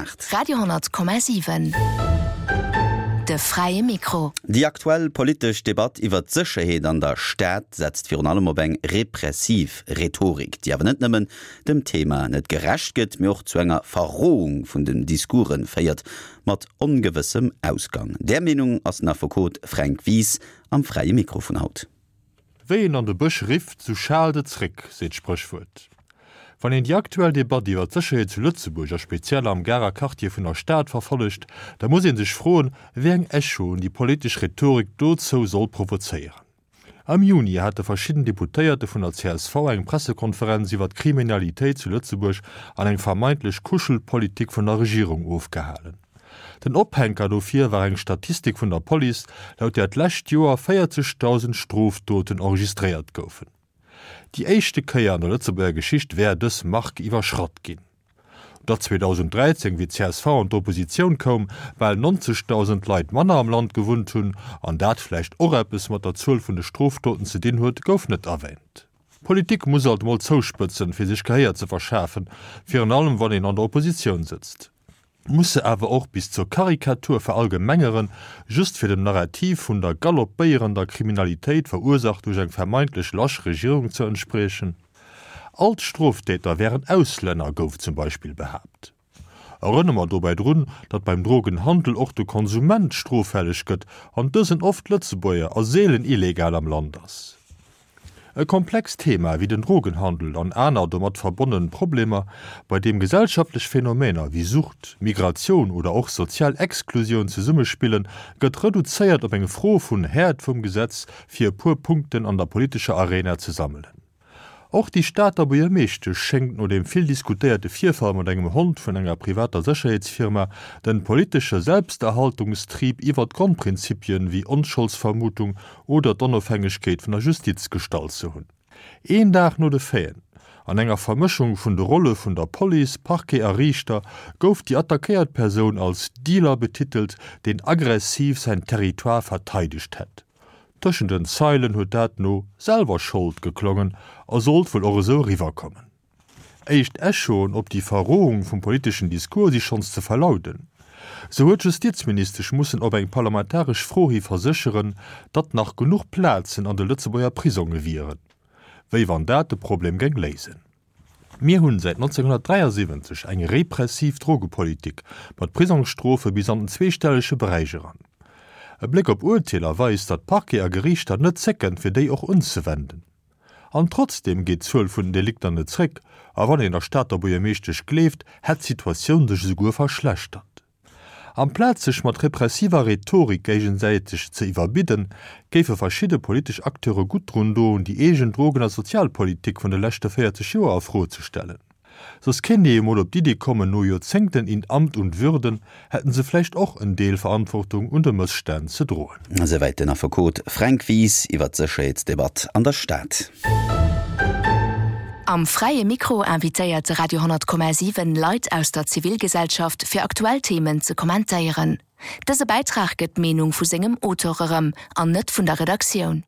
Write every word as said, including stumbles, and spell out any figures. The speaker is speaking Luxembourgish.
aacht. Radio honnert Komma siwen, De fräie Mikro. Déi aktuell politesch Debatt iwwert d'Sécherheet an der Stad setzt virun allem op eng repressiv Rhetorik, déi awer net nëmmen dem Thema net gerecht gëtt, mee och zu enger Verrohung vun den Discourse féiert, mat ongewëssem Ausgang. Där Meenung ass den Affekot Fränk Wies am Fräie Mikro vun haut. Wéi een an de Bësch rifft, sou schaalt et zréck, seet d'Spréchwuert. Wann een déi aktuell Debatt iwwer d'Sécherheet zu Lëtzebuerg a speziell am Garer Quartier vun der Stad verfollegt, da muss ee sech froen, wéi eng Echoen déi politesch Rhetorik dozou soll provozéieren. Am Juni hate verschidden Deputéierte vun der csv eng Pressekonferenz iwwer d'Kriminalitéit zu Lëtzebuerg an eng vermeintlech Kuschelpolitik vun der Regierung ofgehalen. Den Ophänker dofir war eng Statistik vun der Police, laut där d'lescht Joer véierzegdausend Strofdoten enregistréiert goufen. Déi éischte Kéier an der Lëtzebuerger Geschicht wär dës Mark iwwerschratt ginn. Datt zweedausend dräizéng, wéi d'CSV an d'Oppositioun koum, bal neunzegdausend Leit manner am Land gewunnt hunn an dat vläicht och eppes mat der Zuel vun de Strofdoten ze dinn huet, gouf net erwäänt. Politik muss alt mol zouspëtzen, fir sech Gehéier ze verschafen, virun allem wann een an der Oppositioun sëtzt. Muss se awer och bis zur Karikatur verallgemengeren, just fir dem Narrativ vun der galoppéierender Kriminalitéit verursaacht duerch eng vermeintlech lasch Regierung ze entspriechen? All d'Stroftäter wären Auslänner, gouf zum Beispill behaapt. Erënnere mer dobäi drun, datt beim Drogenhandel och de Konsument stroffälleg gëtt an dësen oft Lëtzebuerger a seelen illegal am Land ass. E komplext Thema wéi den Drogenhandel an aner domat verbonne Problemer, bei deem gesellschaftlech Phänomener wéi Sucht, Migratioun oder och sozial Exklusioun zesummespillen, gëtt reduzéiert op eng Fro vun Häert vum Gesetz, fir e puer Punkten an der politescher Arena ze sammelen. Och déi Stater Buergermeeschtesch schéngt no deem vill diskutéierte Virfall mat engem Hond vun enger privater Sécherheetsfirma de politesche Selbsterhaltungstrieb iwwer d'Grondprinzipien wéi Onscholdsvermutung oder d'Onofhängegkeet vun der Justiz gestallt ze hunn. Een Dag no de Faiten, an enger Vermëschung vun de Rolle vun der Police, Parquet a Riichter, gouf déi attackéiert Persoun als Dealer betitelt, deen aggressiv säin Territoire verteidegt hätt. Tëschent den Zeilen huet dat no selwer Schold geklongen a sollt wuel och esou eriwwerkommen. Éischt Echoen op déi Verrohung vum politeschen Discours si schonns ze verlauden. Sou huet d'Justizministesch mussen op eng parlamentaresch Fro hi versécheren, datt nach genuch Plazen an de Lëtzebuerger Prisonge wieren. Wéi wann dat de Problem géing léisen. Mir hunn säit neunzehnhunnertdräiasiwwenzeg eng repressiv Drogepolitik mat Prisongsstrofe bis an den zweestellege Beräich eran. E Bléck op Urteeler weist, datt Parquet a Geriichter net zécken, fir déi och unzewenden. An trotzdeem geet d'Zuel vun den Delikter net zréck, a wann een der Stater Buergermeeschtesch gleeft, hätt d'Situatioun sech esouguer verschlechtert. Amplaz sech mat repressiver Rhetorik géigesäiteg ze iwwerbidden, géife verschidde politesch Acteure gutt drun doen, déi eegen Drogen a Sozialpolitik vun de leschte véierzeg Joer a Fro ze stellen. Soss kéint ee jo mol op d'Iddi kommen, no Joerzéngten in Amt und Würden hätten se vläicht och en Deel Verantwortung un de Mësstänn ze droen. Esouwäit den Affekot Fränk Wies iwwer d'Sécherheetsdebatt an der Stad. Am Fräie Mikro invitéiert de Radio honnert Komma siwen Leit aus der Zivilgesellschaft fir aktuell Themen ze kommentéieren. Dëse Bäitrag gëtt d'Meenung vu sengem Auteur erëm an net vun der Redaktioun.